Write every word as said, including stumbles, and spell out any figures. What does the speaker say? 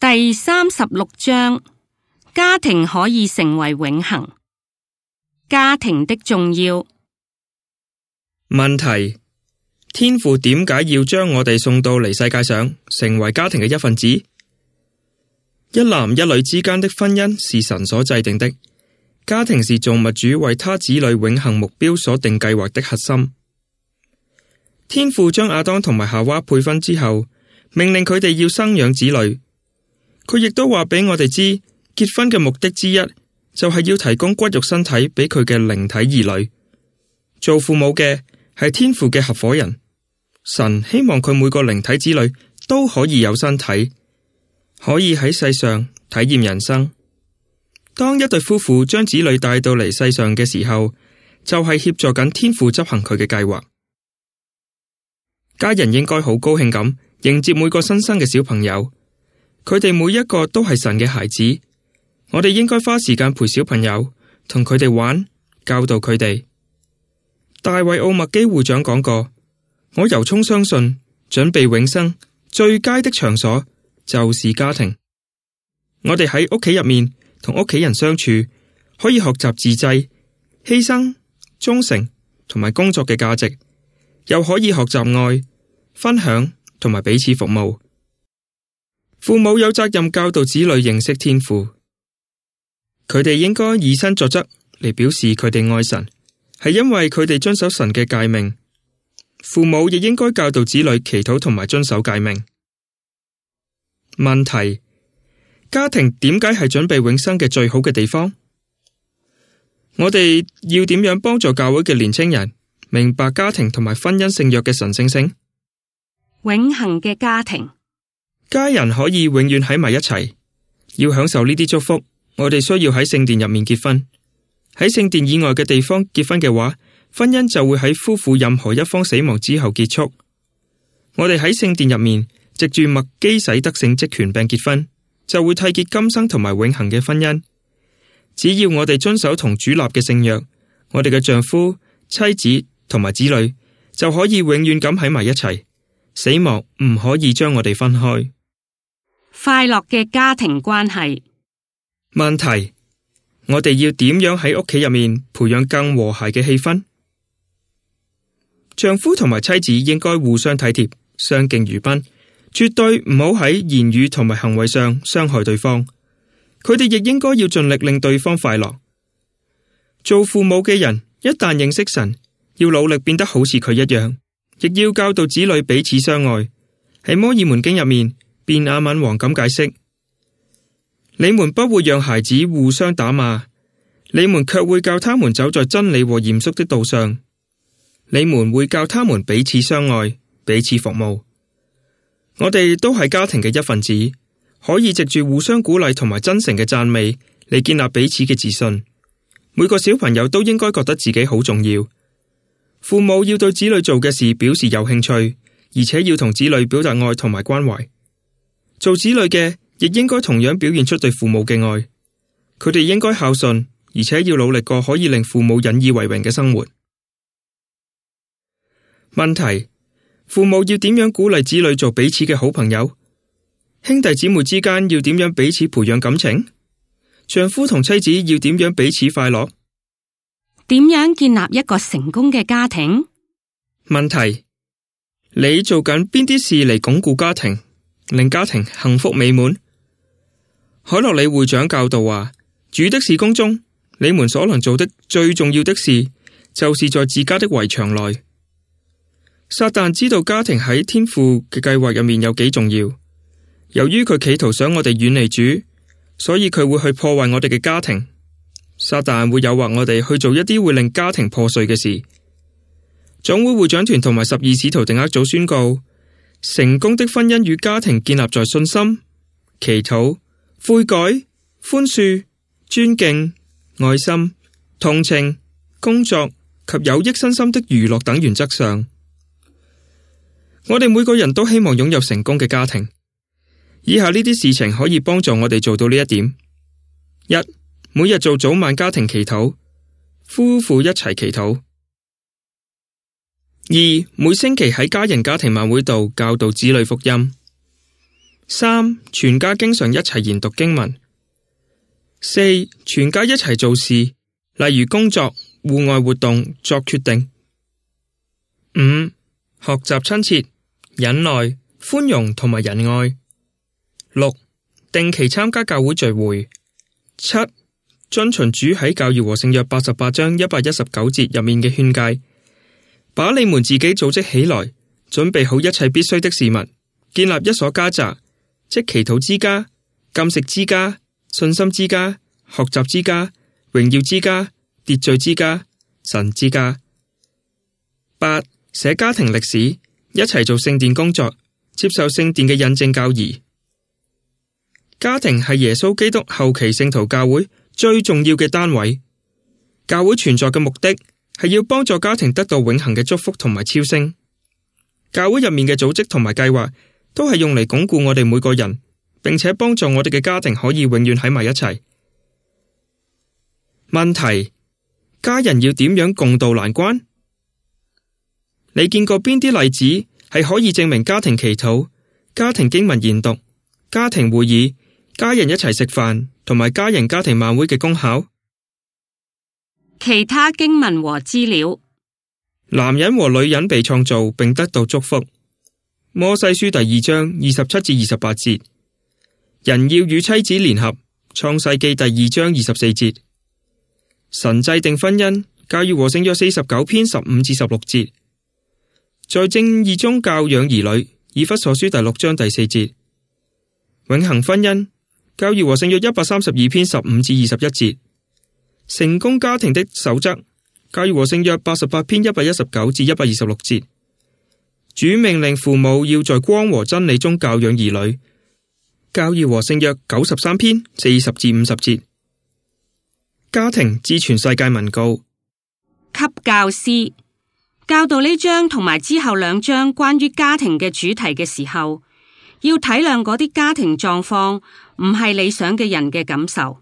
第三十六章，家庭可以成為永恆。家庭的重要。問題：天父點解要將我哋送到嚟世界上，成為家庭嘅一份子？一男一女之間的婚姻是神所制定的，家庭是造物主為他子女永恆目標所定計劃的核心。天父將亞當同埋夏娃配婚之後，命令佢哋要生養子女。佢亦都話俾我哋知，結婚嘅目的之一就係要提供骨肉身體俾佢嘅靈體兒女。做父母嘅係天父嘅合夥人，神希望佢每個靈體子女都可以有身體，可以喺世上體驗人生。當一對夫婦將子女帶到嚟世上嘅時候，就係協助緊天父執行佢嘅計劃。家人應該好高興咁迎接每個新生嘅小朋友。佢哋每一個都係神嘅孩子，我哋應該花時間陪小朋友，同佢哋玩，教導佢哋。大衛奧麥基會長講過：我由衷相信，準備永生最佳的場所就是家庭。我哋喺屋企入面同屋企人相處，可以學習自制、犧牲、忠誠同埋工作嘅價值，又可以學習愛、分享同埋彼此服務。父母有責任教導子女認識天父，佢哋應該以身作則嚟表示佢哋愛神，係因為佢哋遵守神嘅誡命。父母亦應該教導子女祈禱同埋遵守誡命。問題：家庭點解係準備永生嘅最好嘅地方？我哋要點樣幫助教會嘅年輕人明白家庭同埋婚姻聖約嘅神聖性？永恆嘅家庭。家人可以永遠喺埋一齊，要享受呢啲祝福，我哋需要喺聖殿入面結婚。喺聖殿以外嘅地方結婚嘅話，婚姻就會喺夫婦任何一方死亡之後結束。我哋喺聖殿入面藉住麥基洗德聖職權柄結婚，就會締結今生同埋永恆嘅婚姻。只要我哋遵守同主立嘅聖約，我哋嘅丈夫、妻子同埋子女就可以永遠咁喺埋一齊，死亡唔可以將我哋分開。快樂嘅家庭關係。問題：我哋要點樣喺屋企入面培養更和諧嘅氣氛？丈夫同埋妻子應該互相體貼，相敬如賓，絕對唔好喺言語同埋行為上傷害對方。佢哋亦應該要盡力令對方快樂。做父母嘅人一旦認識神，要努力變得好似佢一樣，亦要教導子女彼此相愛。喺摩爾門經入面，便雅憫王咁解釋：你們不會讓孩子互相打罵，你們卻會教他們走在真理和嚴肅的道上。你們會教他們彼此相愛，彼此服務。我哋都係家庭嘅一份子，可以藉住互相鼓勵同埋真誠嘅讚美嚟建立彼此嘅自信。每個小朋友都應該覺得自己好重要。父母要對子女做嘅事表示有興趣，而且要同子女表達愛同埋關懷。做子女嘅亦應該同樣表現出對父母嘅愛。佢哋應該孝順，而且要努力過可以令父母引以為榮嘅生活。問題：父母要點樣鼓勵子女做彼此嘅好朋友？兄弟姊妹之間要點樣彼此培養感情？丈夫同妻子要點樣彼此快樂？點樣建立一個成功嘅家庭？問題：你做緊邊啲事嚟鞏固家庭，令家庭幸福美滿？海洛里會長教導話：主的事工中，你們所能做的最重要的事，就是在自家的圍牆內。撒旦知道家庭喺天父嘅計劃入面有幾重要，由於佢企圖想我哋遠離主，所以佢會去破壞我哋嘅家庭。撒旦會誘惑我哋去做一啲會令家庭破碎嘅事。總會會長團同埋十二使徒定額組宣告：成功的婚姻與家庭建立在信心、祈禱、悔改、寬恕、尊敬、愛心、同情、工作及有益身心的娛樂等原則上。我哋每個人都希望擁有成功嘅家庭。以下呢啲事情可以幫助我哋做到呢一點：一、每日做早晚家庭祈禱，夫婦一齊祈禱；二、每星期喺家人家庭晚會度教導子女福音；三、全家經常一齊研讀經文。四、全家一齊做事，例如工作、戶外活動，作決定。五、學習親切、忍耐、寬容同埋仁愛。六、定期參加教會聚會。七、遵循主喺教義和聖約八十八章一百一十九節入面嘅勸誡，把你們自己組織起來，準備好一切必須的事物，建立一所家宅，即祈禱之家、禁食之家、信心之家、學習之家、榮耀之家、秩序之家、神之家。八、寫家庭歷史，一齊做聖殿工作，接受聖殿嘅印證教義。家庭係耶穌基督後期聖徒教會最重要嘅單位。教會存在嘅目的係要幫助家庭得到永恆嘅祝福同埋超升。教會入面嘅組織同埋計劃都係用嚟鞏固我哋每個人，並且幫助我哋嘅家庭可以永遠喺埋一齊。問題：家人要點樣共度難關？你見過邊啲例子係可以證明家庭祈禱、家庭經文研讀、家庭會議、家人一齊食飯同埋家人家庭晚會嘅功效？其他經文和資料。男人和女人被創造並得到祝福。摩西書第二章二十七至二十八節。人要與妻子聯合。創世記第二章二十四節。神制定婚姻。教義和聖約四十九篇十五至十六節。在正義中教養兒女。以弗所書第六章第四節。永恆婚姻。教義和聖約一百三十二篇十五至二十一節。成功家庭的守則。教義和聖約八十八篇一百一十九至一百二十六節。主命令父母要在光和真理中教養兒女。教義和聖約九十三篇四十至五十節。家庭致全世界文告。給教師教導呢章同埋之後兩章關於家庭嘅主題嘅時候，要體諒嗰啲家庭狀況唔係理想嘅人嘅感受。